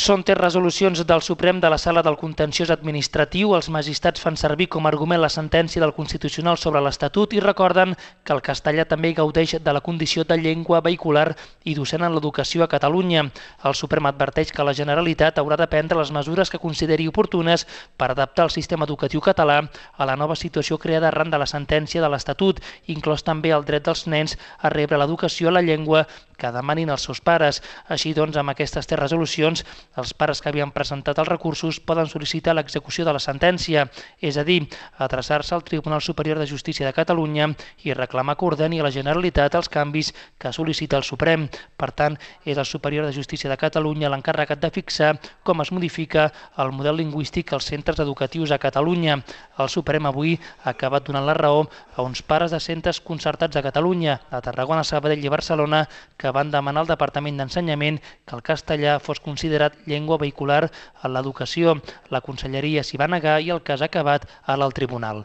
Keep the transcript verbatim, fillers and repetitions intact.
Són tres resolucions del Suprem de la Sala del Contenciós Administratiu. Els magistrats fan servir com a argument la sentència del Constitucional sobre l'Estatut i recorden que el castellà també gaudeix de la condició de llengua vehicular i docent en l'educació a Catalunya. El Suprem adverteix que la Generalitat haurà de prendre les mesures que consideri oportunes per adaptar el sistema educatiu català a la nova situació creada arran de la sentència de l'Estatut, inclòs també el dret dels nens a rebre l'educació a la llengua que demanin els seus pares. Així doncs, amb aquestes tres resolucions, els pares que havien presentat els recursos poden sol·licitar l'execució de la sentència, és a dir, adreçar-se al Tribunal Superior de Justícia de Catalunya i reclamar que ordeni a la Generalitat els canvis que sol·licita el Suprem. Per tant, és el Superior de Justícia de Catalunya l'encarregat de fixar com es modifica el model lingüístic als centres educatius a Catalunya. El Suprem avui ha acabat donant la raó a uns pares de centres concertats a Catalunya, a Tarragona, Sabadell i Barcelona, que van demanar al Departament d'Ensenyament que el castellà fos considerat llengua vehicular en l'educació. La Conselleria s'hi va negar i el cas ha acabat ara al Tribunal.